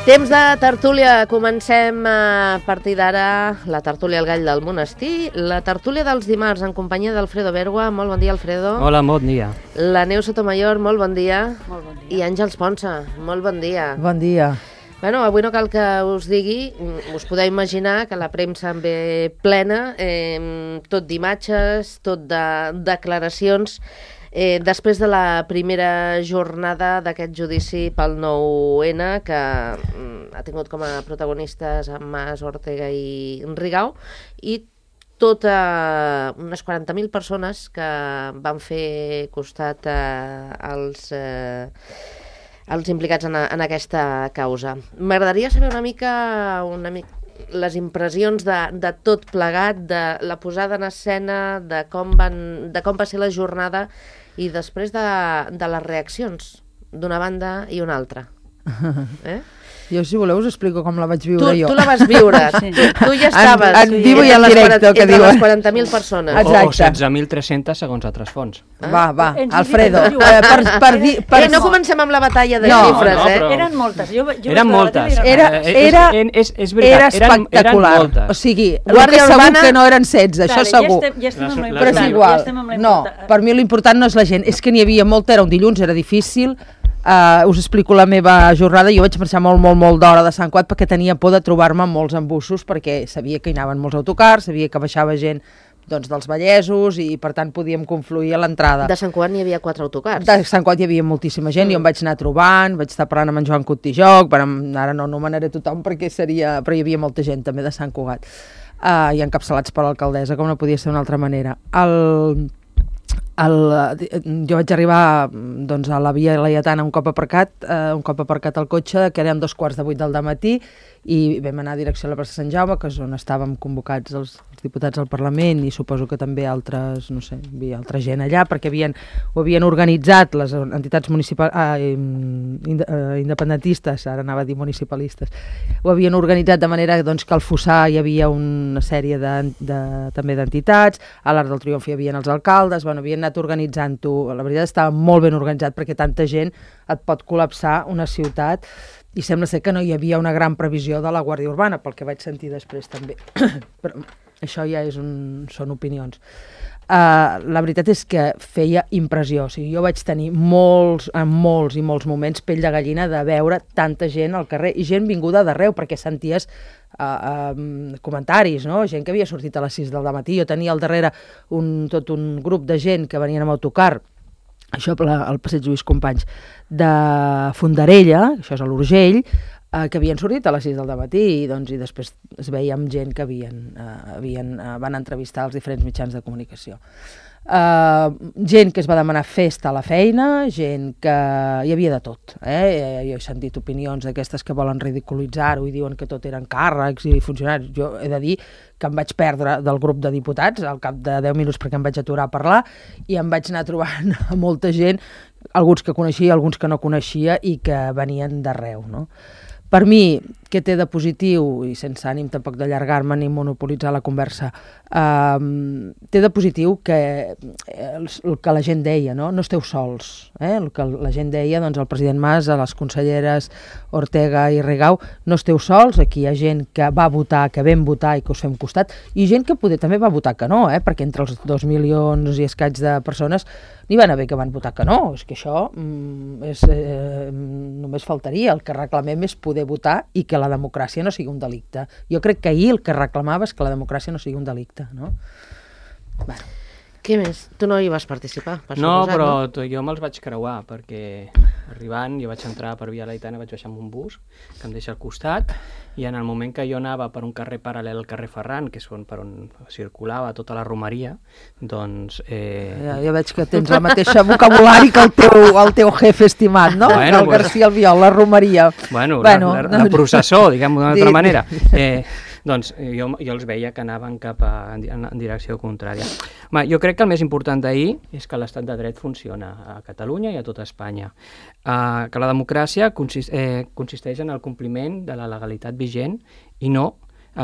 Temps de tertúlia. Comencem a partir d'ara la tertúlia al Gall del Monestir, la tertúlia dels dimarts en companyia d'Alfredo Bergua. Molt bon dia, Alfredo. Hola, bon dia. La Neus Sotomayor, molt bon dia. Molt bon dia. I Àngels Ponsa, molt bon dia. Bon dia. Bueno, avui no cal que us digui, us podeu imaginar que la premsa en ve plena, tot d'imatges, tot de declaracions, després de la primera jornada d'aquest judici pel 9-N, que ha tingut com a protagonistes Mas, Ortega i Rigau, i unes 40.000 persones que van fer costat als implicats en aquesta causa. M'agradaria saber una mica les impressions de tot plegat, de la posada en escena, de com va ser la jornada i després de les reaccions d'una banda i una altra. Jo, si voleu, us explico com la vaig viure jo. Tu la vas viure, Sí. tu ja estaves En vivo i en directe, que entre diuen. les 40.000 persones. O Exacte. 16.300 segons altres fonts. Va, Ens Alfredo, diuen, per dir... No comencem amb la batalla de No, xifres, no, però- Eren moltes. Eren moltes. Era És veritat, espectacular. eren moltes. O sigui, el Guàrdia que segur Urbana- que no eren 16, això segur. Ja estem amb la Però Però és important, igual. ja estem amb la No, important. per mi l'important no és la gent, és que n'hi havia molta, era un dilluns, era difícil. Us explico la meva jornada. Jo vaig marxar molt d'hora de Sant Cugat perquè tenia por de trobar-me amb molts embussos, perquè sabia que hi anaven molts autocars, sabia que baixava gent dels Vallesos i per tant podíem confluir a l'entrada. De Sant Cugat n'hi havia 4 autocars. De Sant Cugat hi havia moltíssima gent, jo em vaig anar trobant, vaig estar parlant amb en Joan Cotijoc, ara no anomenaré tothom perquè però hi havia molta gent també de Sant Cugat, i encapçalats per l'alcaldessa, com no podia ser d'una altra manera. Jo vaig arribar a la Via Laietana un cop aparcat el cotxe, que eren 7:45 del dematí, i vam anar a direcció a la plaça Sant Jaume, que és on estàvem convocats els diputats del Parlament, i suposo que també altres, no sé, hi havia altra gent allà, perquè ho havien organitzat les entitats independentistes, ara anava a dir municipalistes, ho havien organitzat de manera que al Fossar hi havia una sèrie també d'entitats, a l'Arc del Triomf hi havia els alcaldes, havien anat organitzant-ho. La veritat estava molt ben organitzat perquè tanta gent et pot col·lapsar una ciutat, i sembla ser que no hi havia una gran previsió de la Guàrdia Urbana, pel que vaig sentir després també. Però això ja són opinions. La veritat és que feia impressió. O sigui, jo vaig tenir molts moments pell de gallina de veure tanta gent al carrer, i gent vinguda d'arreu, perquè senties comentaris, no? Gent que havia sortit a les 6 del dematí. Jo tenia al darrere tot un grup de gent que venien amb autocar, això al passeig Lluís Companys, de Fondarella, això és a l'Urgell, que havien sortit a les 6 del dematí, i després es veia amb gent que van entrevistar als diferents mitjans de comunicació. Gent que es va demanar festa a la feina, gent que... hi havia de tot. Jo he sentit opinions d'aquestes que volen ridiculitzar-ho i diuen que tot eren càrrecs i funcionaris. Jo he de dir que em vaig perdre del grup de diputats al cap de 10 minuts perquè em vaig aturar a parlar, i em vaig anar trobant a molta gent, alguns que coneixia, alguns que no coneixia, i que venien d'arreu, no? Per mi, què té de positiu, i sense ànim tampoc d'allargar-me ni monopolitzar la conversa, té de positiu que el que la gent deia, no esteu sols. El que la gent deia, el president Mas, a les conselleres Ortega i Rigau, no esteu sols, aquí hi ha gent que va votar, que vam votar i que us fem costat, i gent que poder també va votar que no, perquè entre els 2 milions i escaig de persones n'hi van haver que van votar que no. És que això només faltaria. El que reclamem és poder votar i que la democràcia no sigui un delicte. Jo crec que ahir el que reclamava és que la democràcia no sigui un delicte, no? Bueno. Què més? Tu no hi vas participar, per No, suposat, però jo me'ls vaig creuar, perquè arribant jo vaig entrar per Via Laietana, vaig baixar amb un bus que em deixa al costat, i en el moment que jo anava per un carrer paral·lel al carrer Ferran, que és per on circulava tota la romeria, doncs... Ja veig que tens el mateix vocabulari que el teu jefe estimat, no? Bueno, el García Albiol, la romeria. Bueno, la processó, diguem-ho d'una altra manera. Doncs jo els veia que anaven cap en direcció contrària. Jo crec que el més important d'ahir és que l'estat de dret funciona a Catalunya i a tota Espanya. Que la democràcia consisteix en el compliment de la legalitat vigent i no,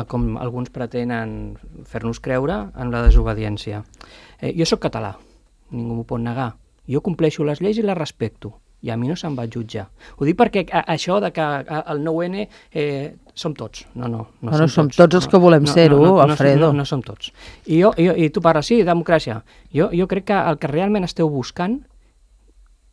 com alguns pretenen fer-nos creure, en la desobediència. Jo sóc català, ningú m'ho pot negar. Jo compleixo les lleis i les respecto. i a mi no se'm va jutjar. Ho dic perquè això de que el 9-N som tots. No som tots els que volem ser-ho, Alfredo. No som tots. I tu parles, sí, democràcia. Jo crec que el que realment esteu buscant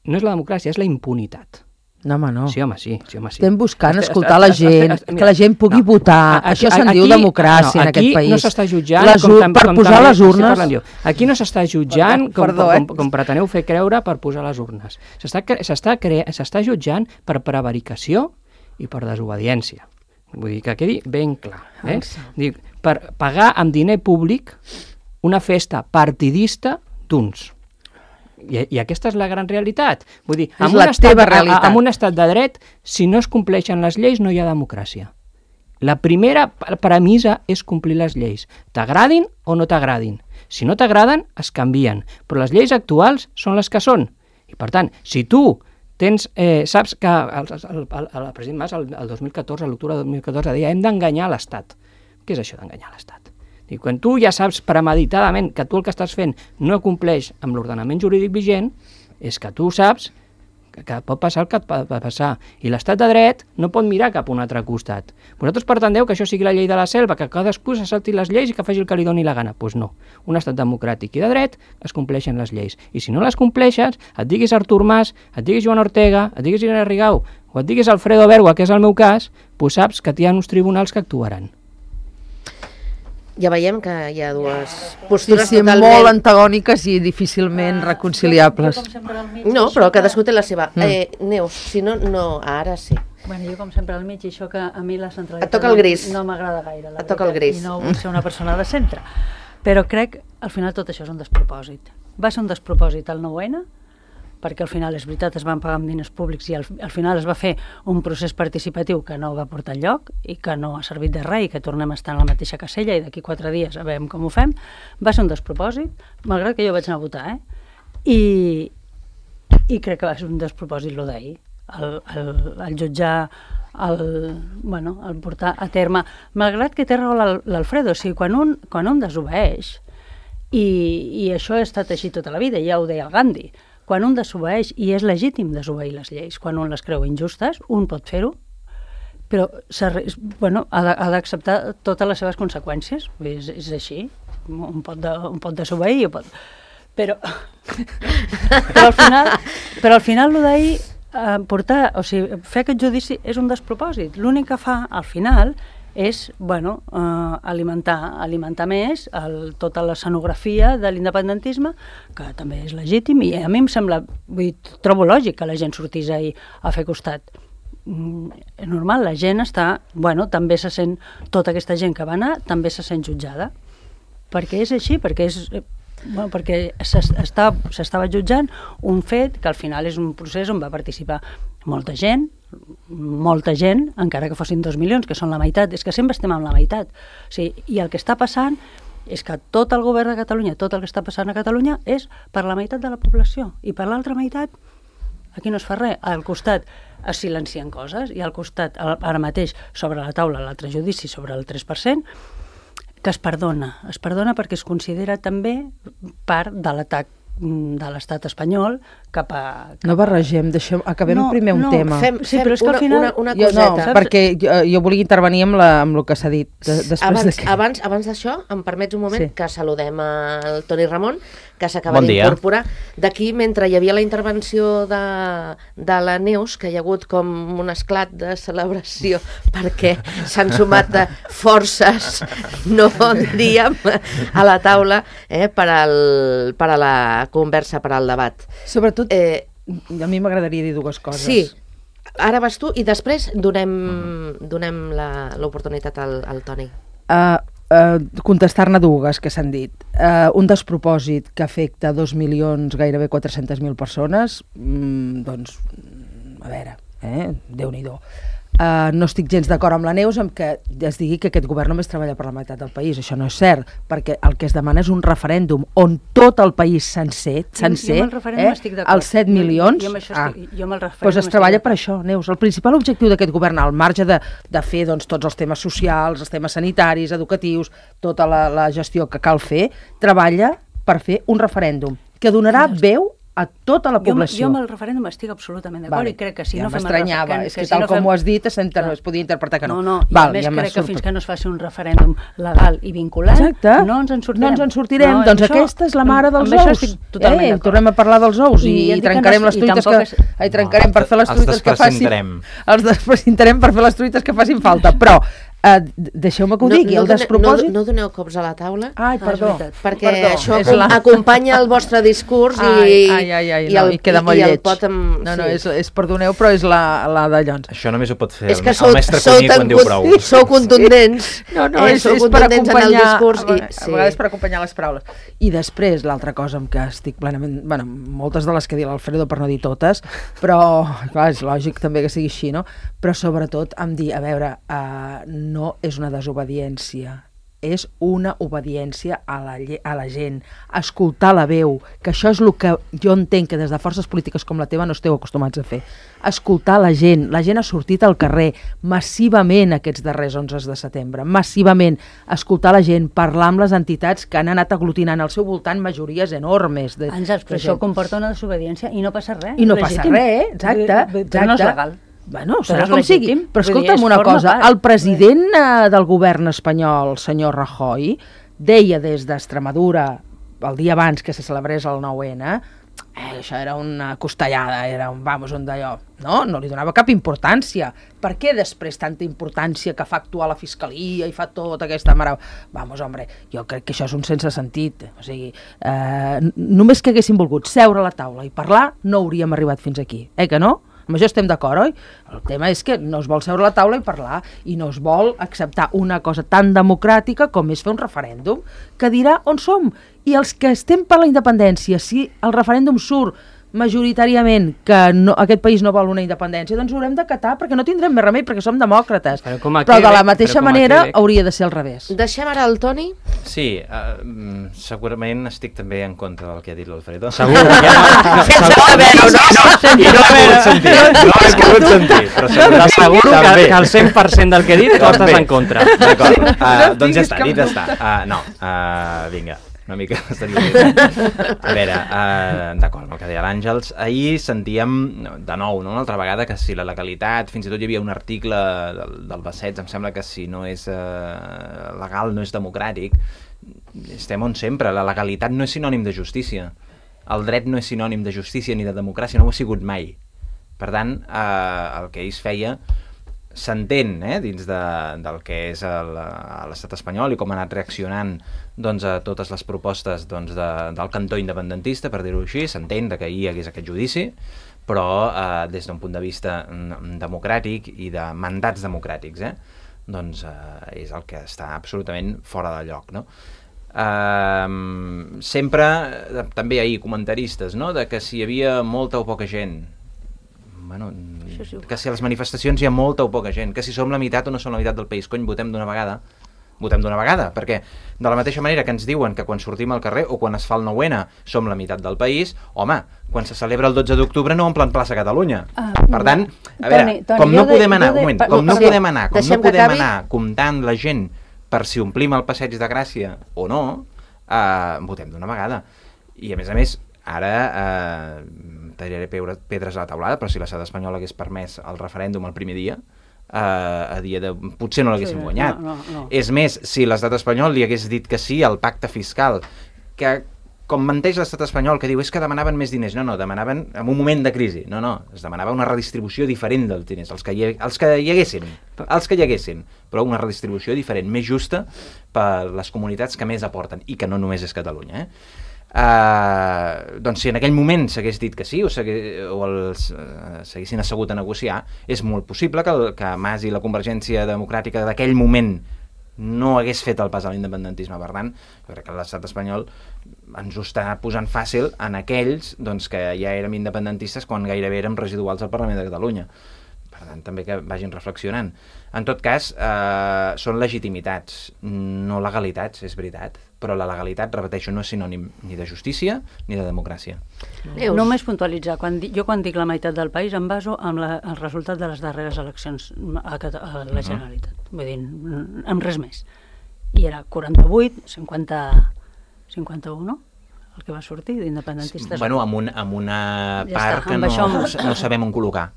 no és la democràcia, és la impunitat. No, home, no. Sí, home, sí. Estem buscant escoltar la gent, que la gent pugui votar. Això se'n diu democràcia en aquest país. Aquí no s'està jutjant per posar les urnes. Aquí no s'està jutjant com preteneu fer creure per posar les urnes. S'està jutjant per prevaricació i per desobediència. Vull dir que quedi ben clar. Dic, per pagar amb diner públic una festa partidista d'uns. I aquesta és la gran realitat. Vull dir, és la teva realitat. En un estat de dret, si no es compleixen les lleis, no hi ha democràcia. La primera premissa és complir les lleis. T'agradin o no t'agradin. Si no t'agraden, es canvien. Però les lleis actuals són les que són. I per tant, si tu saps que el president Mas, el 2014, a l'octubre del 2014, deia hem d'enganyar l'Estat. Què és això d'enganyar l'Estat? I quan tu ja saps premeditadament que tu el que estàs fent no compleix amb l'ordenament jurídic vigent, és que tu saps que pot passar el que pot passar. I l'estat de dret no pot mirar cap a un altre costat. Vosaltres pretendeu que això sigui la llei de la selva, que cadascú se salti les lleis i que faci el que li doni la gana. Doncs no. Un estat democràtic i de dret es compleixen les lleis. I si no les compleixes, et diguis Artur Mas, et diguis Joan Ortega, et diguis Irene Rigau o et diguis Alfredo Bergua, que és el meu cas, doncs saps que hi ha uns tribunals que actuaran. Ja veiem que hi ha dues postures totalment... molt antagòniques i difícilment reconciliables. No, però cadascú té la seva. Neus, si no, ara sí. Bueno, jo com sempre al mig, i això que a mi la centralitat et toca el gris. No m'agrada gaire, la et toca el gris. I no vull ser una persona de centre. Però crec, al final, tot això és un despropòsit. Va ser un despropòsit el 9-N, perquè al final, és veritat, es van pagar amb diners públics i al final es va fer un procés participatiu que no va portar enlloc i que no ha servit de res i que tornem a estar en la mateixa casella i d'aquí 4 dies a veure com ho fem. Va ser un despropòsit, malgrat que jo vaig anar a votar, I crec que va ser un despropòsit el d'ahir, el jutjar, el portar a terme, malgrat que té raó l'Alfredo, o sigui, quan un desobeeix, i això ha estat així tota la vida, ja ho deia el Gandhi, quan un desobeeix, i és legítim desobeir les lleis, quan un les creu injustes, un pot fer-ho, però ha d'acceptar totes les seves conseqüències, és així, un pot desobeir, però al final el d'ahir, fer aquest judici és un despropòsit. L'únic que fa al final és alimentar més tota l'escenografia de l'independentisme, que també és legítim, i a mi em sembla, trobo lògic que la gent sortís ahir a fer costat. És normal, la gent està, també se sent, tota aquesta gent que va anar, també se sent jutjada, perquè és així, perquè s'estava jutjant un fet que al final és un procés on va participar molta gent, encara que fossin 2 milions, que són la meitat, és que sempre estem amb la meitat. O sigui, i el que està passant és que tot el govern de Catalunya, tot el que està passant a Catalunya és per la meitat de la població, i per l'altra meitat aquí no es fa res. Al costat es silencien coses, i al costat, ara mateix, sobre la taula l'altre judici sobre el 3%, que es perdona perquè es considera també part de l'atac de l'estat espanyol cap a... No barregem, acabem primer un tema. Sí, però és que al final... Una coseta. No, perquè jo volia intervenir amb el que s'ha dit. Abans d'això, em permets un moment que saludem el Toni Ramon, que s'acaba d'incorporar. D'aquí, mentre hi havia la intervenció de la Neus, que hi ha hagut com un esclat de celebració perquè s'han sumat forces, no diríem, a la taula per a la conversa, per al debat. Sobretot, a mi m'agradaria dir dues coses. Sí, ara vas tu i després donem l'oportunitat al Toni. Contestar-ne dues que s'han dit. Un despropòsit que afecta 2 milions, gairebé 400.000 persones, doncs, a veure, Déu-n'hi-do. No estic gens d'acord amb la Neus amb que es digui que aquest govern només treballa per la meitat del país. Això no és cert, perquè el que es demana és un referèndum on tot el país sencer, els 7 milions, doncs es treballa per això, Neus. El principal objectiu d'aquest govern, al marge de fer tots els temes socials, els temes sanitaris, educatius, tota la gestió que cal fer, treballa per fer un referèndum que donarà veu a tota la població. Jo amb el referèndum estic absolutament d'acord i crec que si no fem el referèndum... És que tal com ho has dit es podia interpretar que no. No, i a més crec que fins que no es faci un referèndum legal i vinculant, no ens en sortirem. No ens en sortirem, doncs aquesta és la mare dels ous. Tornem a parlar dels ous i trencarem les truites que... Trencarem per fer les truites que facin... Els desprecintarem per fer les truites que facin falta, però... deixeu-me que ho digui, el despropòsit... No doneu cops a la taula. Ai, perdó. Perquè això acompanya el vostre discurs i queda molt lleig. No, és perdoneu, però és la de Llons. Això només ho pot fer el mestre Cuní quan diu prou. Sou contundents. És per acompanyar... A vegades per acompanyar les paraules. I després, l'altra cosa amb què estic plenament... Bueno, moltes de les que diu l'Alfredo, per no dir totes, però, clar, és lògic també que sigui així, no? Però sobretot em dir, a veure... no és una desobediència, és una obediència a la gent, escoltar la veu, que això és el que jo entenc que des de forces polítiques com la teva no esteu acostumats a fer. Escoltar la gent ha sortit al carrer massivament aquests darrers 11 de setembre, massivament, escoltar la gent, parlar amb les entitats que han anat aglutinant al seu voltant majories enormes. Àngels, però això comporta una desobediència i no passa res. I no passa res, exacte. Però no és legal. Bueno, serà com sigui, però escolta'm una cosa, el president del govern espanyol, el senyor Rajoy, deia des d'Extremadura, el dia abans que se celebrés el 9-N, això era una costellada, era un d'allò, no li donava cap importància. Per què després tanta importància que fa actuar la fiscalia i fa tota aquesta mare... Hombre, jo crec que això és un sense sentit. O sigui, només que haguéssim volgut seure a la taula i parlar, no hauríem arribat fins aquí, que no? Amb això estem d'acord, oi? El tema és que no es vol seure a la taula i parlar i no es vol acceptar una cosa tan democràtica com és fer un referèndum que dirà on som. I els que estem per la independència, si el referèndum surt majoritàriament que aquest país no vol una independència, doncs ho haurem d'acatar perquè no tindrem més remei, perquè som demòcrates. Però de la mateixa manera hauria de ser al revés. Deixem ara el Toni? Sí, segurament estic també en contra del que ha dit l'Alfredo. Segur. Sense saber-ho, no he pogut sentir. Però segur que el 100% del que he dit tu estàs en contra. D'acord, doncs ja està, dit està. Vinga. Una mica a veure, d'acord, amb el que deia l'Àngels, ahir sentíem de nou, una altra vegada, que si la legalitat, fins i tot hi havia un article del Bassets, em sembla que si no és legal no és democràtic. Estem on sempre, la legalitat no és sinònim de justícia, el dret no és sinònim de justícia ni de democràcia, no ho ha sigut mai. Per tant, el que ells feia s'entén dins del que és l'estat espanyol i com ha anat reaccionant a totes les propostes del cantó independentista, per dir-ho així, s'entén que hi hagués aquest judici, però des d'un punt de vista democràtic i de mandats democràtics, doncs és el que està absolutament fora de lloc, no? Sempre, també ahir comentaristes, de que si hi havia molta o poca gent, que si a les manifestacions hi ha molta o poca gent, que si som la meitat o no som la meitat del país, cony, votem d'una vegada, perquè de la mateixa manera que ens diuen que quan sortim al carrer o quan es fa el 9-N som la meitat del país, home, quan se celebra el 12 d'octubre no omplen plaça Catalunya. Per tant, a veure, com no podem anar comptant la gent per si omplim el passeig de Gràcia o no, votem d'una vegada. I a més, ara tallaré pedres a la taulada, però si l'estat espanyol hagués permès el referèndum el primer dia, potser no l'haguéssim guanyat. No. És més, si l'estat espanyol li hagués dit que sí al pacte fiscal, que com menteix l'estat espanyol, que diu és que demanaven més diners, no, demanaven en un moment de crisi, no, es demanava una redistribució diferent dels diners, els que hi haguessin, però una redistribució diferent, més justa per les comunitats que més aporten, i que no només és Catalunya, doncs si en aquell moment s'hagués dit que sí o s'haguessin assegut a negociar, és molt possible que Mas i la Convergència Democràtica d'aquell moment no hagués fet el pas a l'independentisme. Per tant, jo crec que l'estat espanyol ens ho està posant fàcil en aquells que ja érem independentistes quan gairebé érem residuals al Parlament de Catalunya. Per tant, també que vagin reflexionant. En tot cas, són legitimitats, no legalitats, és veritat, però la legalitat, repeteixo, no és sinònim ni de justícia ni de democràcia. Només puntualitzar, jo quan dic la meitat del país em baso en el resultat de les darreres eleccions a la Generalitat, vull dir, amb res més. I era 48, 51, el que va sortir d'independentistes. Bueno, amb una Ja part està, que amb no sabem on col·locar.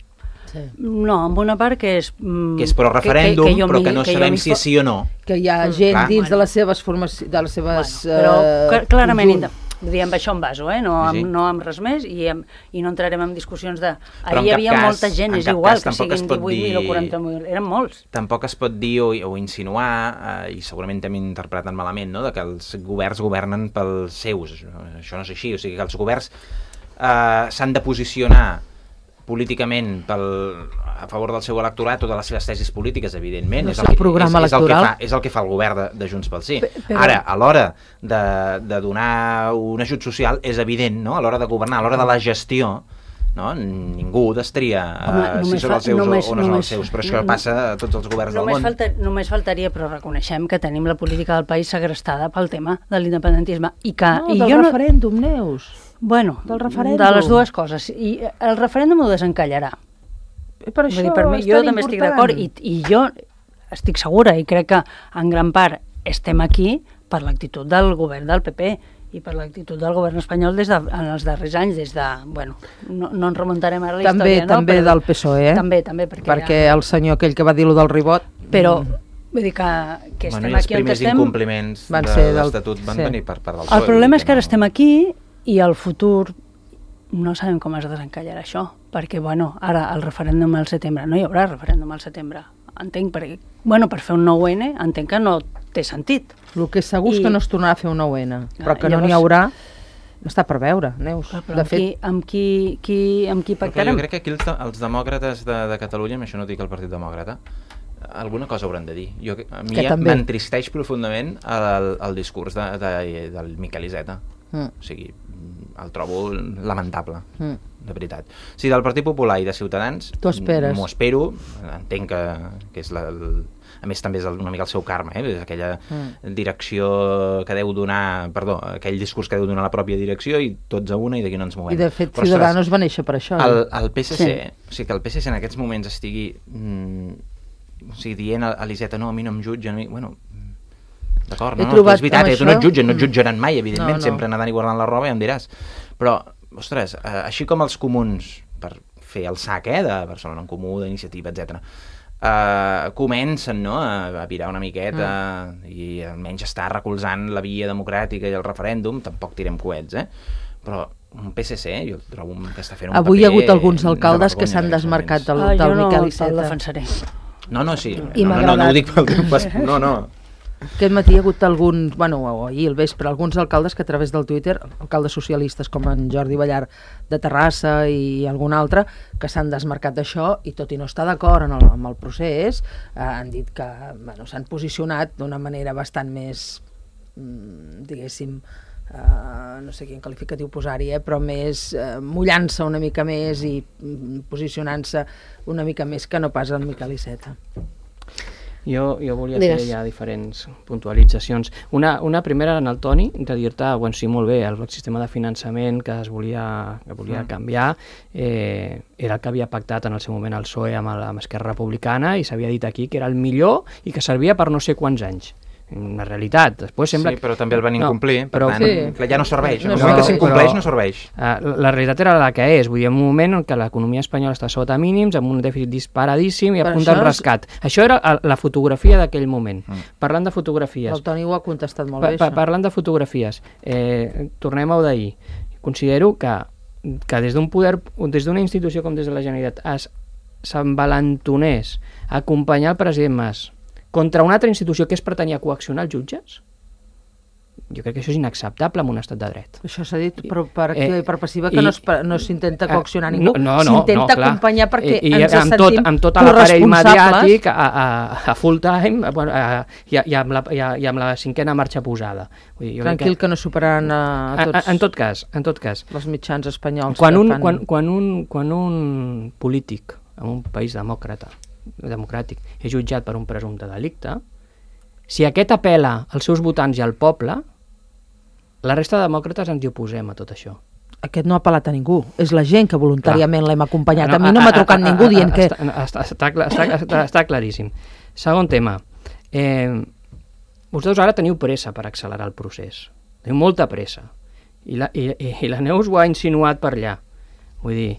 No, amb una part que és... Que és pro-referèndum, però que no sabem si és sí o no. Que hi ha gent clar. dins de les seves formacions, de les seves... Però clarament, conjunt. amb això em baso, no amb res més, i no entrarem en discussions de... Però Ahir hi en cap havia cas- molta gent, en és cap igual cas que tampoc es siguin pot 18.000 o dir- 40.000, eren molts. Tampoc es pot dir o insinuar, i segurament també interpreten malament, no?, de que els governs governen pels seus. Això no és així, o sigui que els governs s'han de posicionar políticament a favor del seu electorat o de les seves tesis polítiques, evidentment. El seu programa electoral. És el que fa el govern de Junts pel Sí. Ara, a l'hora de donar un ajut social, és evident, no?, a l'hora de governar, a l'hora de la gestió, no? Ningú destria si són els seus o no són els seus, però això passa a tots els governs del món. Només faltaria, però reconeixem que tenim la política del país segrestada pel tema de l'independentisme. Del referèndum, Neus. Bueno, del referèndum. De les dues coses. I el referèndum ho desencallarà. Per això per mi, jo també estic d'acord, i jo estic segura, i crec que en gran part estem aquí per l'actitud del govern del PP i per l'actitud del govern espanyol en els darrers anys, des de... Bueno, no ens remuntarem ara a la història, no? També del PSOE, També, perquè el senyor aquell que va dir-lo del ribot... Però, vull dir que estem aquí on estem... Els primers incompliments de l'Estatut van venir per part del PSOE. El problema és que ara estem aquí i el futur no sabem com es desencallarà això, perquè, bueno, ara el referèndum al setembre, no hi haurà referèndum al setembre, entenc, perquè, bueno, per fer un 9N entenc que no té sentit. El que és segur és que no es tornarà a fer un 9N, però que no n'hi haurà, està per veure, Neus. De fet, amb qui pactarem? Jo crec que aquí els demòcrates de Catalunya, amb això no dic el Partit Demòcrata, alguna cosa hauran de dir. A mi m'entristeix profundament el discurs del Miquel Iceta. O sigui, el trobo lamentable, de veritat. Si del Partit Popular i de Ciutadans, m'ho espero, entenc que és a més també és una mica el seu karma, aquella direcció que deu donar, aquell discurs que deu donar la pròpia direcció, i tots a una, i d'aquí no ens movem. I de fet Ciudadanos va néixer per això. El PSC, o sigui que el PSC en aquests moments estigui dient a l'Iceta, no, a mi no em jutgen, bueno, d'acord, no, és veritat, tu no et jutgen, no et jutjaran mai, evidentment, sempre nedant i guardant la roba, ja em diràs. Però, ostres, així com els comuns, per fer el sac de Barcelona en Comú, d'Iniciativa, etc., comencen a virar una miqueta i almenys estar recolzant la via democràtica i el referèndum, tampoc tirem coets, però un PSC, jo trobo que està fent un paper... Avui hi ha hagut alguns alcaldes que s'han desmarcat del Miquel Iceta. Jo no el defensaré. No, sí, no ho dic pel temps, no. Aquest matí hi ha hagut alguns, bueno, ahir al vespre, alguns alcaldes que a través del Twitter, alcaldes socialistes com en Jordi Ballar de Terrassa i algun altre, que s'han desmarcat d'això i tot i no estar d'acord amb el procés, han dit que s'han posicionat d'una manera bastant més, diguéssim, no sé quin qualificatiu posar-hi, però més mullant-se una mica més i posicionant-se una mica més que no pas el Miquel Iceta. Jo volia fer ja diferents puntualitzacions. Una primera en el Toni, de dir-te, bueno, sí, molt bé, el sistema de finançament que volia canviar era el que havia pactat en el seu moment el PSOE amb Esquerra Republicana, i s'havia dit aquí que era el millor i que servia per no sé quants anys. Una realitat. Després sembla... Sí, però també el van incomplir, per tant, ja no serveix. En el moment moment que s'incompleix no serveix. La realitat era la que és. Vull dir, en un moment en què l'economia espanyola està sota mínims, amb un dèficit disparadíssim i a punt del rescat. Això era la fotografia d'aquell moment. Parlant de fotografies... El Toni ho ha contestat molt bé, això. Parlant de fotografies, tornem a d'ahir. Considero que des d'un poder, des d'una institució com des de la Generalitat s'envalentonés a acompanyar el president Mas contra una altra institució que és pretenia coaccionar els jutges, jo crec que això és inacceptable en un estat de dret. Això s'ha dit per activa i per passiva, que no s'intenta coaccionar ningú, s'intenta acompanyar perquè ens sentim amb tot l'aparell mediàtic a full time i amb la cinquena marxa posada. Tranquil, que no superaran a tots. En tot cas. Els mitjans espanyols. Quan un polític en un país democràtic és jutjat per un presumpte delicte, si aquest apel·la als seus votants i al poble, la resta de demòcrates ens hi oposem a tot això. Aquest no ha apel·lat a ningú, és la gent que voluntàriament l'hem acompanyat. A mi no m'ha trucat ningú dient que... Està claríssim. Segon tema, vosaltres ara teniu pressa per accelerar el procés, teniu molta pressa, I la Neus ho ha insinuat per allà. Vull dir,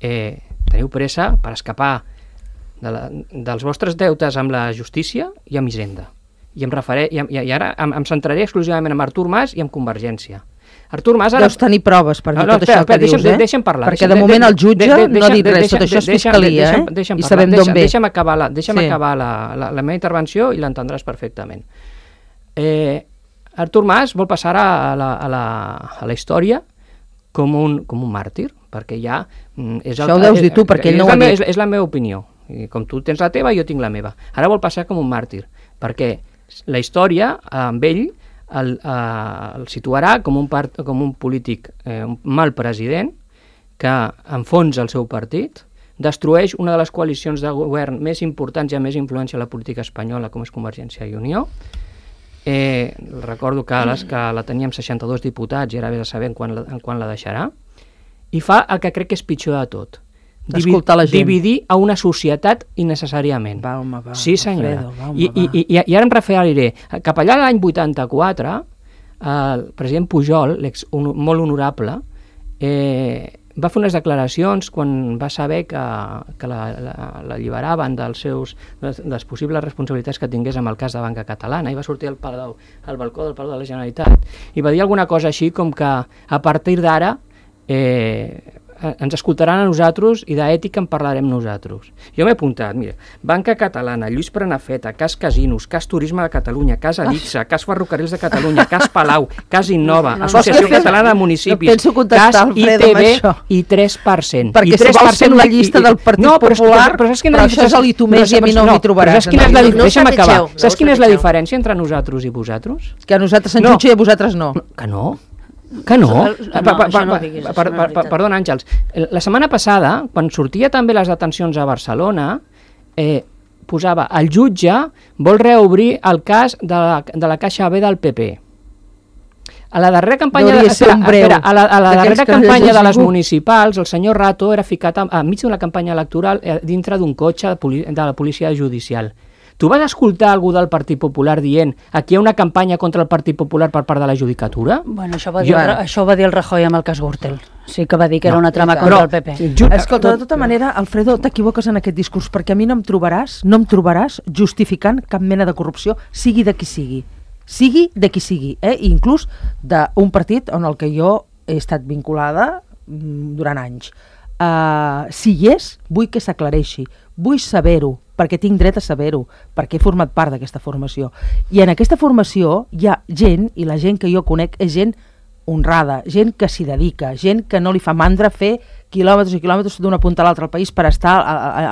teniu pressa per escapar dels vostres deutes amb la justícia i amb Hisenda. I ara em centraré exclusivament en Artur Mas i en Convergència. Artur Mas ara... Deus tenir proves per dir tot això que dius, Deixa'm parlar. Perquè de moment el jutge no ha dit res, tot això és fiscalia, i sabem d'on ve. Deixa'm acabar la meva intervenció i l'entendràs perfectament. Artur Mas vol passar a la història com un màrtir, perquè ja... Això ho deus dir tu, perquè ell no ho ha dit. És la meva opinió. I com tu tens la teva, jo tinc la meva. Ara vol passar com un màrtir, perquè la història amb ell el situarà com un polític, un mal president que enfonsa el seu partit, destrueix una de les coalicions de govern més importants i amb més influència a la política espanyola, com és Convergència i Unió. Recordo que la teníem 62 diputats i ara vés a saber quan la deixarà, i fa el que crec que és pitjor de tot, dividir a una societat innecessàriament. Va, sí, senyora. I ara em referiré. Cap allà l'any 84, el president Pujol, molt honorable, va fer unes declaracions quan va saber que l'alliberaven de les possibles responsabilitats que tingués amb el cas de Banca Catalana, i va sortir al balcó del Palau de la Generalitat i va dir alguna cosa així com que a partir d'ara ens escoltaran a nosaltres i d'ètica en parlarem nosaltres. Jo m'he apuntat, mira, Banca Catalana, Lluís Prenafeta, cas Casinos, cas Turisme de Catalunya, cas Alixa, cas Ferrocarrils de Catalunya, cas Palau, cas Innova, Associació Catalana de Municipis, cas ITV i 3%. Perquè si vols fer la llista del Partit Popular, però això és a l'Itomés i a mi no m'hi trobaràs. Deixa'm acabar. Saps quina és la diferència entre nosaltres i vosaltres? Que a nosaltres se'n jutja i a vosaltres no. Que no? Que no? Perdona, Àngels. La setmana passada, quan sortia també les detencions a Barcelona, posava el jutge vol reobrir el cas de la Caixa B del PP. A la darrera campanya de les municipals, el senyor Rato era ficat enmig d'una campanya electoral dintre d'un cotxe de la policia judicial. Tu vas escoltar algú del Partit Popular dient aquí hi ha una campanya contra el Partit Popular per part de la judicatura? Bueno, això ho va dir el Rajoy amb el cas Gürtel. Sí que va dir que era una trama contra el PP. Escolta, de tota manera, Alfredo, t'equivoques en aquest discurs, perquè a mi no em trobaràs justificant cap mena de corrupció, sigui de qui sigui. Sigui de qui sigui, inclús d'un partit on el que jo he estat vinculada durant anys. Si hi és, vull que s'aclareixi, vull saber-ho, perquè tinc dret a saber-ho, perquè he format part d'aquesta formació. I en aquesta formació hi ha gent, i la gent que jo conec és gent honrada, gent que s'hi dedica, gent que no li fa mandra fer quilòmetres i quilòmetres d'una punta a l'altra al país per estar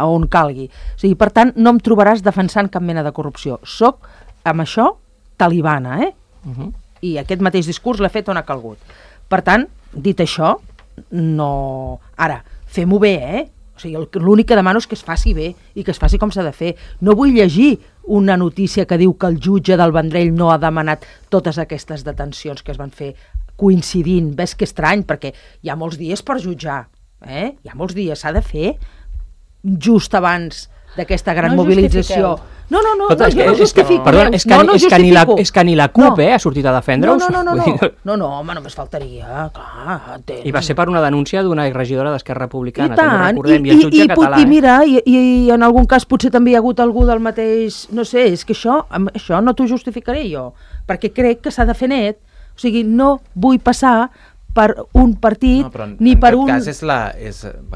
on calgui. O sigui, per tant, no em trobaràs defensant cap mena de corrupció. Soc, amb això, talibana, I aquest mateix discurs l'he fet on ha calgut. Per tant, dit això, no... Ara, fem-ho bé, O sigui, l'únic que demano és que es faci bé i que es faci com s'ha de fer. No vull llegir una notícia que diu que el jutge del Vendrell no ha demanat totes aquestes detencions que es van fer coincidint. Ves que estrany, perquè hi ha molts dies per jutjar. Hi ha molts dies, s'ha de fer just abans d'aquesta gran mobilització. No justifiqueu. Perdona, és que ni la CUP ha sortit a defendre-us. No, home, només faltaria, clar. I va ser per una denúncia d'una regidora d'Esquerra Republicana, I tant, i el jutge català. I mira, i en algun cas potser també hi ha hagut algú del mateix... No sé, és que això no t'ho justificaré jo, perquè crec que s'ha de fer net. O sigui, no vull passar per un partit, ni per un... En tot cas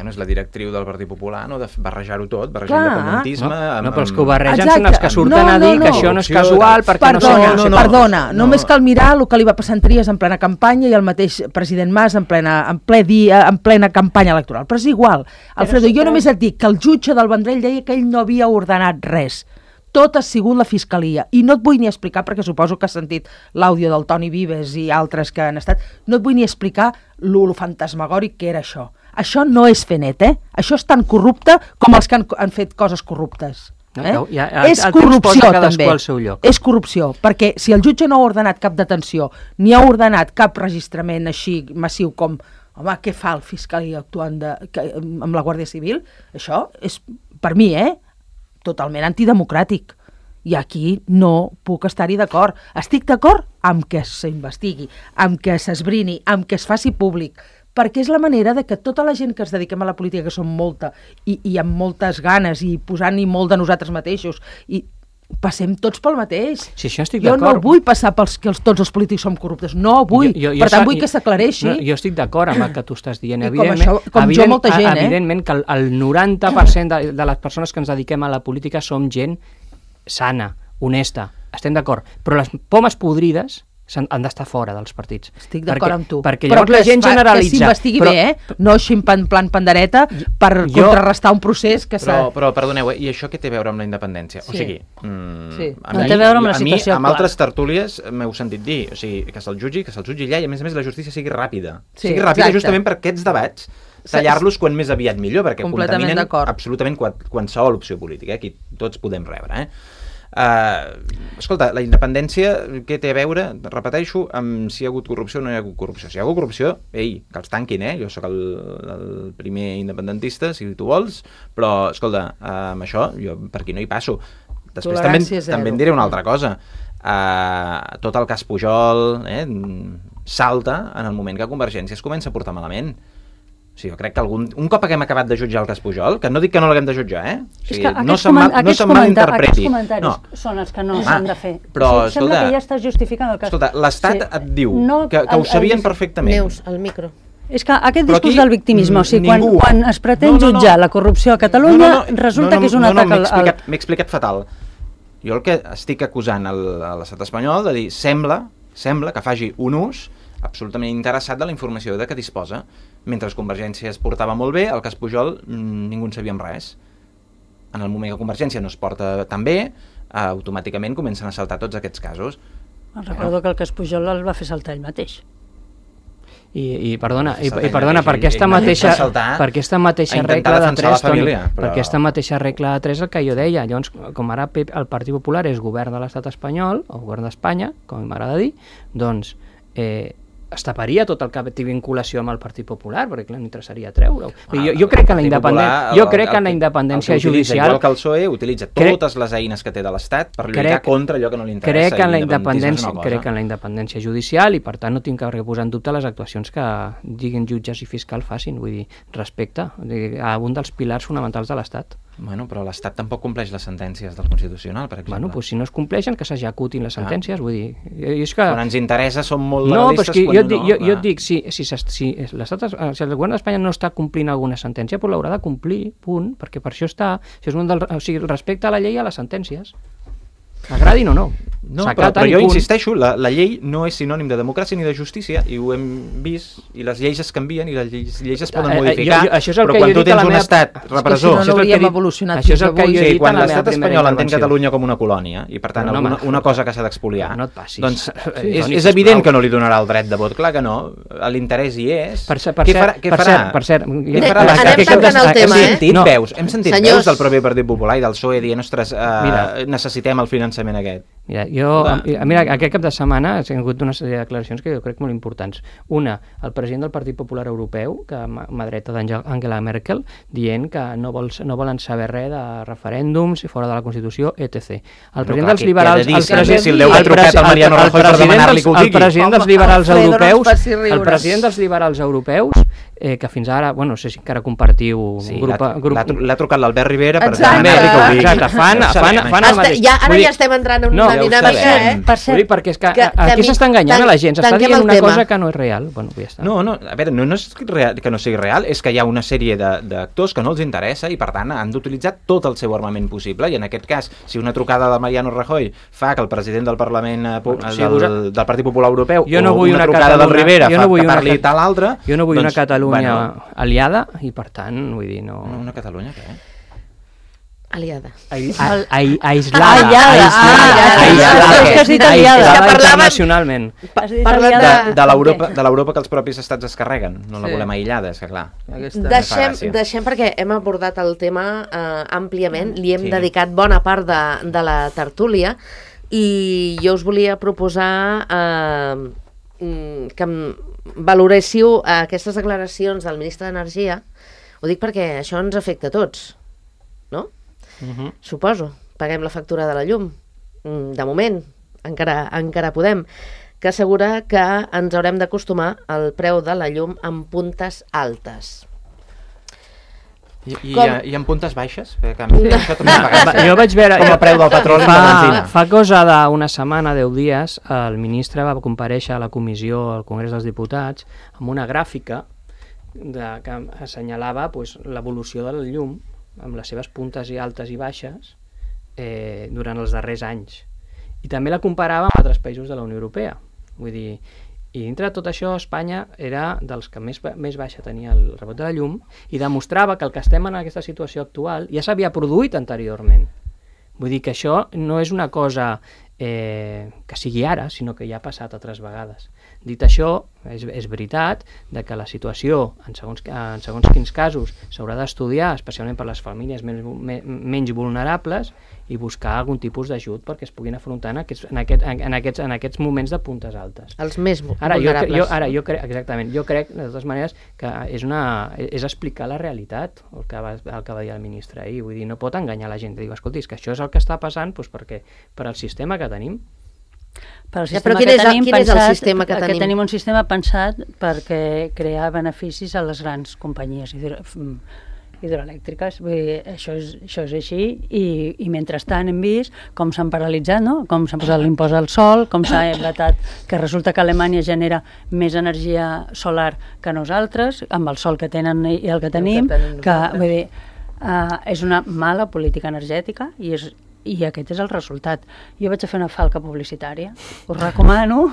és la directriu del Partit Popular, no? De barrejar-ho tot, barrejar l'independentisme... No, però els que ho barregen són els que surten a dir que això no és casual, perquè no són... Perdona, només cal mirar el que li va passar en Trias en plena campanya i el mateix president Mas en plena campanya electoral. Però és igual. Alfredo, jo només et dic que el jutge del Vendrell deia que ell no havia ordenat res. Tot ha sigut la Fiscalia, i no et vull ni explicar, perquè suposo que has sentit l'àudio del Toni Vives i altres que han estat, no et vull ni explicar lo fantasmagòric que era això. Això no és fer net, Això és tan corrupte com els que han fet coses corruptes. És corrupció, també. És corrupció, perquè si el jutge no ha ordenat cap detenció, ni ha ordenat cap registrament així massiu com, home, què fa el Fiscalia actuant amb la Guàrdia Civil? Això és, per mi, totalment antidemocràtic. I aquí no puc estar-hi d'acord. Estic d'acord amb que s'investigui, amb que s'esbrini, amb que es faci públic, perquè és la manera de que tota la gent que ens dediquem a la política, que som molta, i amb moltes ganes, i posant-hi molt de nosaltres mateixos, i passem tots pel mateix. Sí, això estic jo d'acord. no vull passar pels que tots els polítics som corruptes, no vull. Per tant, vull que s'aclareixi. No, jo estic d'acord amb el que tu estàs dient. Com jo, molta gent, evidentment que el 90% de les persones que ens dediquem a la política som gent sana, honesta, estem d'acord, però les pomes podrides han d'estar fora dels partits. Estic d'acord amb tu. Perquè llavors la gent generalitza. Que s'investigui bé, no així en plan pandereta per contrarrestar un procés que s'ha... Però perdoneu, i això què té a veure amb la independència? O sigui, no té a veure amb la situació amb altres tertúlies m'heu sentit dir, o sigui, que se'l jutgi allà, i a més la justícia sigui ràpida. Sigui ràpida justament per aquests debats, tallar-los quan més aviat millor, perquè contaminen absolutament qualsevol opció política, aquí tots podem rebre, escolta, la independència què té a veure, repeteixo, amb si hi ha hagut corrupció o no hi ha hagut corrupció. Si hi ha hagut corrupció, ei, que els tanquin, jo sóc el primer independentista, si tu vols, però, escolta, amb això, jo per aquí no hi passo. Després també en diré una altra cosa. Tot el cas Pujol salta en el moment que Convergència es comença a portar malament. O sigui, jo crec que un cop haguem acabat de jutjar el cas Pujol, que no dic que no l'haguem de jutjar, o sigui, no se'n malinterpreti. Aquests comentaris són els que no s'han de fer. Però, sembla que ja estàs justificant el cas. Escolta, l'Estat et diu que ho sabien perfectament. Neus, al micro. És que aquest discurs del victimisme, o sigui, quan es pretén jutjar la corrupció a Catalunya, resulta que és un atac al... M'he explicat fatal. Jo el que estic acusant a l'estat espanyol de dir, sembla que faci un ús absolutament interessat de la informació de què disposa. Mentre Convergència es portava molt bé, el cas Pujol ningú en sabíem res. En el moment que Convergència no es porta tan bé, automàticament comencen a saltar tots aquests casos. Recordo que el cas Pujol el va fer saltar ell mateix. I perdona, per aquesta mateixa regla de 3, Toni, per aquesta mateixa regla de 3 el que jo deia. Llavors, com ara el Partit Popular és govern de l'estat espanyol, o govern d'Espanya, com m'agrada dir, doncs es taparia tot el que té vinculació amb el Partit Popular, perquè clar, n'interessaria treure-ho. Jo crec que en la independència judicial... Igual que el PSOE utilitza totes les eines que té de l'Estat per lluitar contra allò que no li interessa. Crec que en la independència judicial, i per tant no tinc que posar en dubte les actuacions que diguin jutges i fiscal facin, vull dir, respecte a un dels pilars fonamentals de l'Estat. Bueno, però l'Estat tampoc compleix les sentències del Constitucional, per exemple. Bueno, doncs si no es compleixen, que s'executin les sentències, vull dir... És que... Quan ens interessa som molt legalistes, quan no... Jo et dic, si el govern d'Espanya no està complint alguna sentència, però l'haurà de complir, punt, perquè per això està... O sigui, respecte a la llei i a les sentències. Agradin o no. No, però jo insisteixo, la llei no és sinònim de democràcia ni de justícia, i ho hem vist, i les lleis es canvien i les lleis es poden modificar, però quan tu tens un estat repressor... No hauríem evolucionat fins avui. Quan l'estat espanyol entén Catalunya com una colònia, i per tant una cosa que s'ha d'expoliar, doncs és evident que no li donarà el dret de vot, clar que no, l'interès hi és. Què farà? Per cert, anem tancant el tema, hem sentit veus del propi Partit Popular i del PSOE dient, ostres, necessitem el finançament aquest. Mira, aquest cap de setmana ha hagut una sèrie de declaracions que jo crec molt importants. Una, el president del Partit Popular Europeu, que mà dreta d'Angela Merkel, dient que no volen saber res de referèndums fora de la Constitució, etc. El president dels liberals... El president dels liberals europeus, que fins ara, no sé si encara compartiu... L'ha trucat l'Albert Rivera per demanar-li que ho digui. Exacte, fan el mateix. Ara ja estem entrant en una dinàmica, Per cert, perquè és que aquí s'està enganyant a la gent, s'està dient una cosa que no és real. Bueno, ja està. No, a veure, no és que no sigui real, és que hi ha una sèrie d'actors que no els interessa i per tant han d'utilitzar tot el seu armament possible, i en aquest cas, si una trucada de Mariano Rajoy fa que el president del Parlament del Partit Popular Europeu o una trucada del Rivera fa que parli tal altre... Jo no vull una Catalunya aliada i per tant, vull dir, no... Una Catalunya què? Aliada. Aislada internacionalment. De l'Europa que els propis estats es carreguen. No la volem aïllada, és que clar. Deixem perquè hem abordat el tema àmpliament, li hem dedicat bona part de la tertúlia, i jo us volia proposar que valoréssiu aquestes declaracions del ministre d'Energia. Ho dic perquè això ens afecta a tots, no? Suposo. Paguem la factura de la llum. de moment, encara podem, que assegura que ens haurem d'acostumar al preu de la llum en puntes altes. I en puntes baixes? Perquè a mi això també m'ha pagat. Jo vaig veure... Com el preu del petroli i la benzina. Fa cosa d'una setmana, 10 dies, el ministre va comparèixer a la comissió al Congrés dels Diputats amb una gràfica que assenyalava l'evolució del llum amb les seves puntes i altes i baixes durant els darrers anys. I també la comparava amb altres països de la Unió Europea. Vull dir, i dintre de tot això, Espanya era dels que més baixa tenia el rebot de la llum i demostrava que el que estem en aquesta situació actual ja s'havia produït anteriorment. Vull dir que això no és una cosa que sigui ara, sinó que ja ha passat altres vegades. Dit això, és veritat que la situació, en segons quins casos, s'haurà d'estudiar, especialment per les famílies menys vulnerables, i buscar algun tipus d'ajut perquè es puguin afrontar en aquests moments de puntes altes. Els més vulnerables. Jo crec, de totes maneres, que és explicar la realitat, el que va dir el ministre ahir. Vull dir, no pot enganyar la gent. Diu, escolti, és que això és el que està passant perquè per al sistema que tenim. Però quin és el sistema que tenim? Tenim un sistema pensat perquè crear beneficis a les grans companyies hidroelèctriques. Vull dir, això és així i mentrestant hem vist com s'han paralitzat, no? Com s'ha posat l'impost al sol, com s'ha vetat que resulta que Alemanya genera més energia solar que nosaltres, amb el sol que tenen i el que tenim, vull dir, és una mala política energètica i aquest és el resultat. Jo vaig a fer una falca publicitària. Us recomano,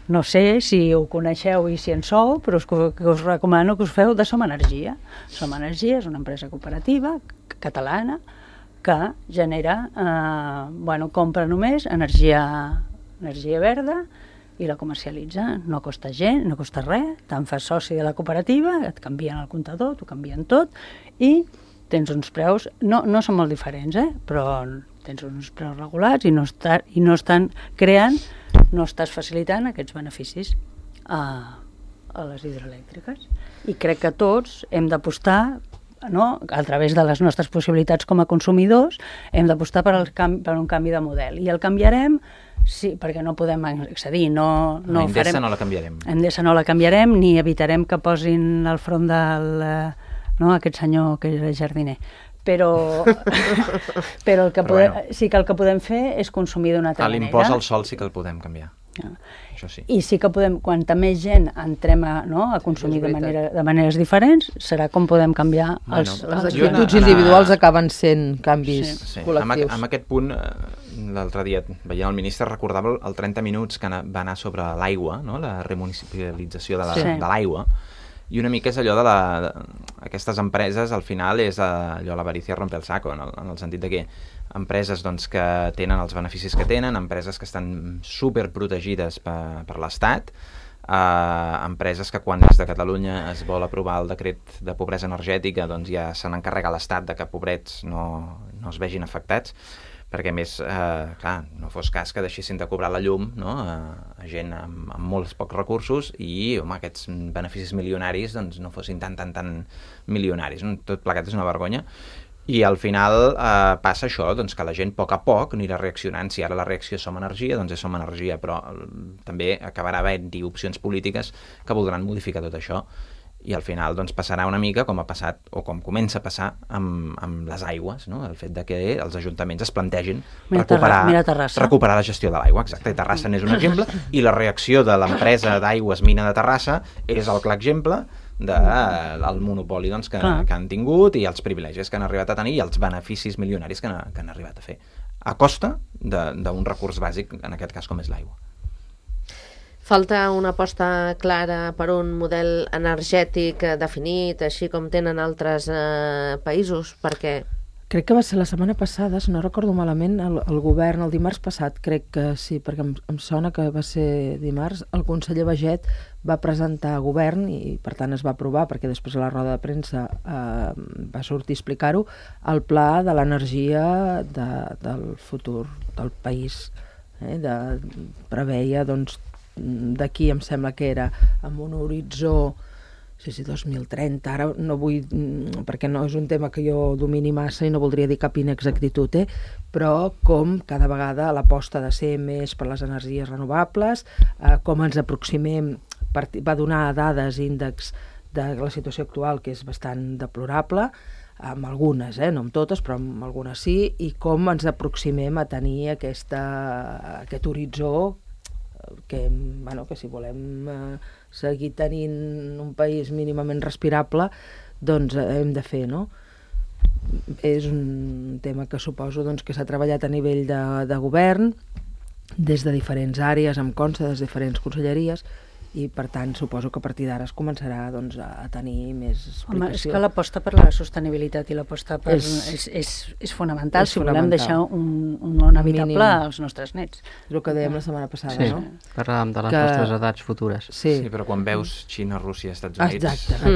no sé si ho coneixeu i si en sou, però us recomano que us feu de Som Energia. Som Energia és una empresa cooperativa catalana que genera, compra només energia verda i la comercialitza. No costa gent, no costa res, te'n fas soci de la cooperativa, et canvien el comptador, t'ho canvien tot i tens uns preus, no són molt diferents, però tens uns preus regulats i no estan creant, no estàs facilitant aquests beneficis a les hidroelèctriques. I crec que tots hem d'apostar, a través de les nostres possibilitats com a consumidors, hem d'apostar per un canvi de model. I el canviarem, sí, perquè no podem accedir, Endesa no la canviarem. Endesa no la canviarem, ni evitarem que posin al front aquest senyor que era jardiner. Però el que sí que el que podem fer és consumir d'una altra manera. L'impost al sol sí que el podem canviar. Això sí. I sí que podem, quanta més gent entrem a consumir de maneres diferents, serà com podem canviar les actituds individuals acaben sent canvis col·lectius. En aquest punt, l'altre dia, veient el ministre, recordava el 30 minuts que va anar sobre l'aigua, la remunicipalització de l'aigua. I una mica és allò aquestes empreses, al final és allò l'avarícia rompe el saco, en el sentit de que empreses que tenen els beneficis que tenen, empreses que estan superprotegides per l'Estat, empreses que quan des de Catalunya es vol aprovar el decret de pobresa energètica ja se n'encarrega l'Estat de que pobrets no es vegin afectats, perquè a més, no fos cas que deixessin de cobrar la llum a gent amb molts pocs recursos i aquests beneficis milionaris no fossin tan milionaris. Tot plegat és una vergonya. I al final passa això, que la gent a poc anirà reaccionant. Si ara la reacció és Som Energia, doncs és Som Energia, però també acabarà havent-hi opcions polítiques que voldran modificar tot això. I al final passarà una mica com ha passat o com comença a passar amb les aigües, el fet de que els ajuntaments es plantegin recuperar la gestió de l'aigua. Exacte, Terrassa n'és un exemple i la reacció de l'empresa d'aigües Mina de Terrassa és el clar exemple del monopoli que han tingut i els privilegis que han arribat a tenir i els beneficis milionaris que han arribat a fer a costa d'un recurs bàsic, en aquest cas com és l'aigua. Falta una aposta clara per un model energètic definit, així com tenen altres països, perquè... Crec que va ser la setmana passada, si no recordo malament, el govern, el dimarts passat, crec que sí, perquè em sona que va ser dimarts, el conseller Baiget va presentar a govern i per tant es va aprovar, perquè després a la roda de premsa va sortir a explicar-ho, el pla de l'energia del futur del país. Preveia, d'aquí em sembla que era amb un horitzó Sí, 2030, ara no vull, perquè no és un tema que jo domini massa i no voldria dir cap inexactitud, però com cada vegada l'aposta de ser més per les energies renovables, com ens aproximem, va donar dades, índexs de la situació actual, que és bastant deplorable, amb algunes, no amb totes, però amb algunes sí, i com ens aproximem a tenir aquest horitzó que si volem seguir tenint un país mínimament respirable, doncs hem de fer, no? És un tema que suposo que s'ha treballat a nivell de govern, des de diferents àrees, em consta, des de diferents conselleries, i per tant suposo que a partir d'ara es començarà a tenir més explicació. Home, és que l'aposta per la sostenibilitat i l'aposta per és fonamental si volem deixar un món habitable als nostres nets. És el que dèiem la setmana passada, no? Sí, parlàvem de les nostres edats futures. Sí, però quan veus Xina, Rússia, Estats Units... Exacte, això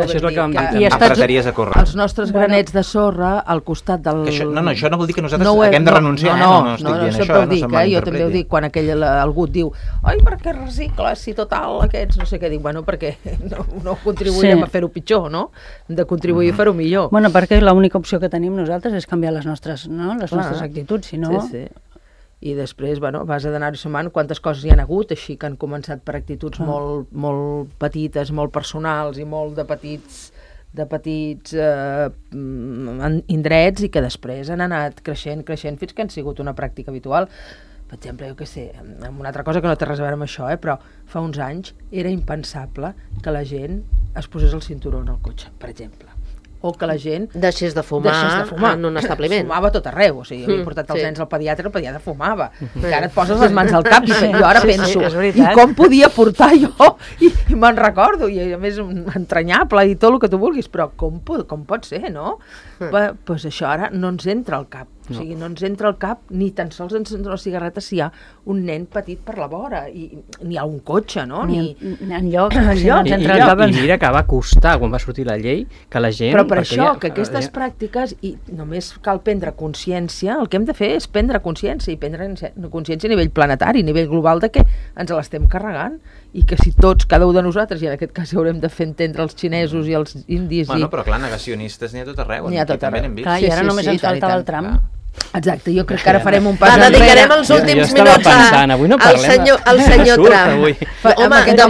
és el que vam dir. I empresaries a córrer. Els nostres granets de sorra al costat del... Això no vol dir que nosaltres haguem de renunciar, no estic dient això, no se'm malinterpreti. Jo també ho dic, quan algú et diu ai, per què recicles, si total aquests, no sé què, dic, bueno, perquè no contribuirem a fer-ho pitjor, no? Hem de contribuir a fer-ho millor. Bueno, perquè l'única opció que tenim nosaltres és canviar les nostres actituds, si no... Sí. I després, vas a d'anar-hi sumant quantes coses hi han hagut, així que han començat per actituds molt petites, molt personals i molt de petits indrets, i que després han anat creixent fins que han sigut una pràctica habitual. Per exemple, jo què sé, una altra cosa que no té res a veure amb això, però fa uns anys era impensable que la gent es posés el cinturó en el cotxe, per exemple. O que la gent deixés de fumar en un establiment. Fumava a tot arreu, o sigui, havia portat els nens al pediatre, el pediatre fumava. I ara et poses les mans al cap i jo ara penso, i com podia portar jo? I me'n recordo, i a més entranyable i tot el que tu vulguis, però com pot ser, no? Doncs això ara no ens entra al cap. O sigui, no ens entra al cap ni tan sols encendre la cigarreta si hi ha un nen petit per la vora, i ni hi ha un cotxe, no? Ni enlloc. I mira que va costar, quan va sortir la llei, que la gent... Però per això, que aquestes pràctiques, i només cal prendre consciència, el que hem de fer és prendre consciència, i prendre consciència a nivell planetari, a nivell global, de que ens l'estem carregant, i que si tots, cada un de nosaltres, i en aquest cas haurem de fer entendre els xinesos i els indis... Bueno, però clar, negacionistes n'hi ha tot arreu. N'hi ha tot arreu. Clar, i ara només ens faltava el tram. Exacte, jo crec que ara farem un pas enrere. Dedicarem els últims minuts al senyor Trump. Home, de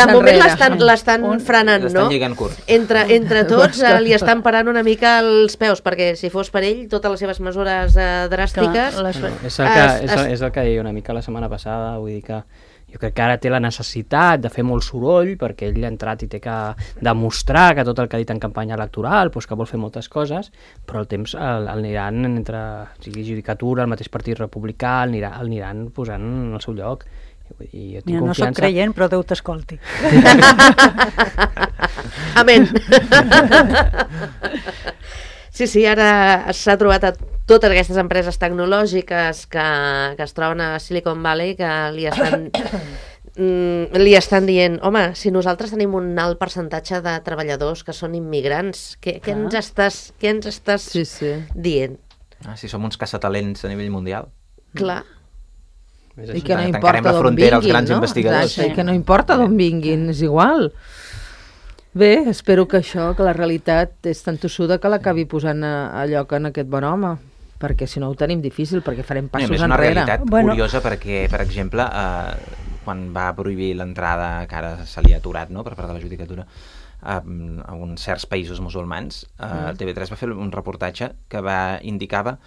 moment l'estan frenant, no? L'estan lligant curt. Entre tots li estan parant una mica els peus, perquè si fos per ell, totes les seves mesures dràstiques... És el que deia una mica la setmana passada, vull dir que jo crec que ara té la necessitat de fer molt soroll, perquè ell ha entrat i té que demostrar que tot el que ha dit en campanya electoral, doncs que vol fer moltes coses, però el temps l'aniran entre judicatura, el mateix partit republicà, l'aniran posant al seu lloc. Mira, no soc creient, però Déu t'escolti. Amén. Sí, ara s'ha trobat a totes aquestes empreses tecnològiques que es troben a Silicon Valley, que li estan dient, home, si nosaltres tenim un alt percentatge de treballadors que són immigrants, què ens estàs dient? Si som uns caçatalents a nivell mundial. Clar. I que no importa d'on vinguin, no? I que no importa d'on vinguin, és igual. Bé, espero que la realitat és tan tossuda que l'acabi posant a lloc en aquest bon home, perquè si no ho tenim difícil, perquè farem passos enrere. És una realitat curiosa perquè, per exemple, quan va prohibir l'entrada, que ara se li ha aturat, no?, per part de la judicatura, a uns certs països musulmans, TV3 va fer un reportatge que indicava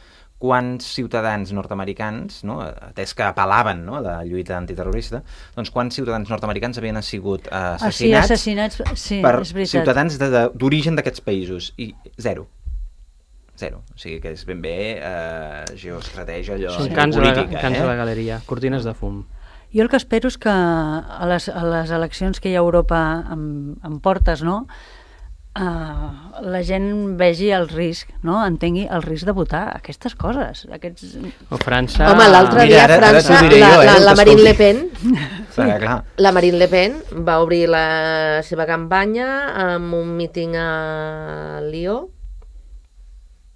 quants ciutadans nord-americans, no, atès que apel·laven, no, a la lluita antiterrorista, doncs quants ciutadans nord-americans havien sigut assassinats per ciutadans d'origen d'aquests països, i zero. O sigui que és ben bé geoestratègia, allò política. Cants a la galeria, cortines de fum. Jo el que espero és que a les eleccions que hi ha a Europa amb portes, no?, la gent vegi el risc, no? Entengui el risc de votar aquestes coses. O França... Home, l'altre dia a França, la Marine Le Pen... La Marine Le Pen va obrir la seva campanya amb un míting a Lió,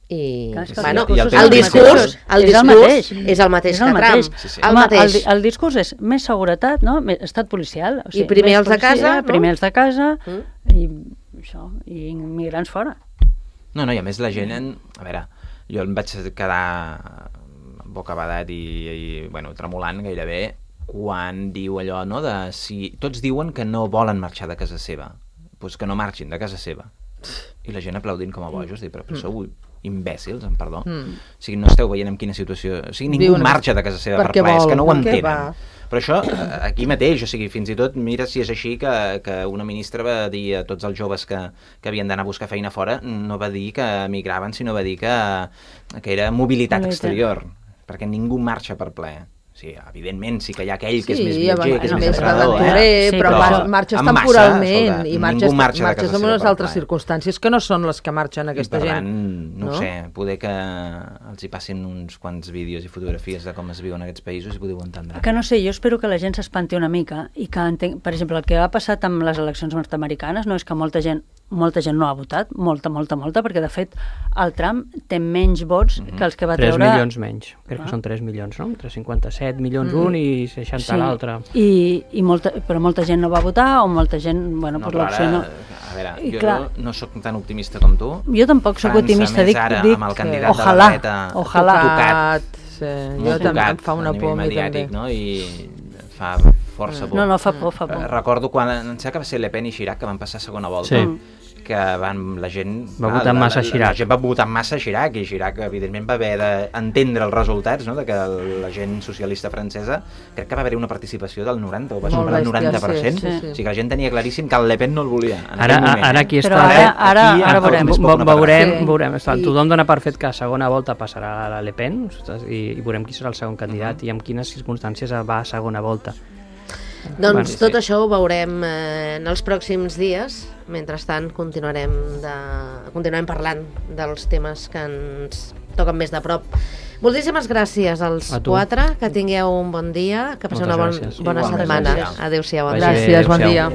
I, Clar, bueno, i el discurs és el mateix que Trump. Sí. Home, el discurs és més seguretat, no? Estat policial. O sigui, I primer més els de casa, no? Primer els de casa, i això, i immigrants fora. No, i a més la gent... A veure, jo em vaig quedar bocabadat i bueno, tremolant gairebé quan diu allò, no?, de si tots diuen que no volen marxar de casa seva, doncs que no marxin de casa seva. I la gent aplaudint com a bojos, però sou imbècils, amb perdó. O sigui, no esteu veient en quina situació... O sigui, ningú marxa de casa seva per plaer, és que no ho entenen. Però això, aquí mateix, o sigui, fins i tot, mira si és així que una ministra va dir a tots els joves que havien d'anar a buscar feina fora, no va dir que emigraven, sinó va dir que era mobilitat exterior, perquè ningú marxa per plaer. Sí, evidentment, sí que hi ha aquell que és més viatger, que és més emprenedor, però marxes temporalment i marxes en unes altres plaer. circumstàncies que no són les que marxen aquesta gent. I per tant, no ho sé, poder que els hi passin uns quants vídeos i fotografies de com es viuen aquests països i podeu entendre. Que no sé, jo espero que la gent s'espanti una mica i que entenc, per exemple, el que ha passat amb les eleccions nord-americanes no és que molta gent no ha votat, molta, perquè de fet el Trump té menys vots que els que va treure... 3 milions menys, crec que són 3 milions, no? 357 milions un i 60 l'altre. Però molta gent no va votar o molta gent, bueno, per l'opció no... A veure, jo no sóc tan optimista com tu. Jo tampoc sóc optimista, dic ara, amb el candidat de la dreta tocat, jo també em fa una por a mi també. No? I fa força por. No, fa por. Recordo quan, em sembla que va ser Le Pen i Chirac que van passar a segona volta. Sí. Que la gent va votar massa Chirac. La gent va votar massa Chirac i Chirac evidentment va haver d'entendre els resultats, no? De que la gent socialista francesa crec que va haver una participació del 90 o va superar el 90%. Sí. O sigui que la gent tenia claríssim que el Le Pen no el volia en aquell moment. Ara aquí està. Però ara veurem. Tothom dona per fet que a segona volta passarà la Le Pen i veurem qui serà el segon candidat i en quines circumstàncies va a segona volta. Doncs tot això ho veurem en els pròxims dies. Mentrestant continuarem parlant dels temes que ens toquen més de prop. Moltíssimes gràcies als 4, que tingueu un bon dia, que passeu una bona setmana. Adéu-siau. Gràcies, bon dia.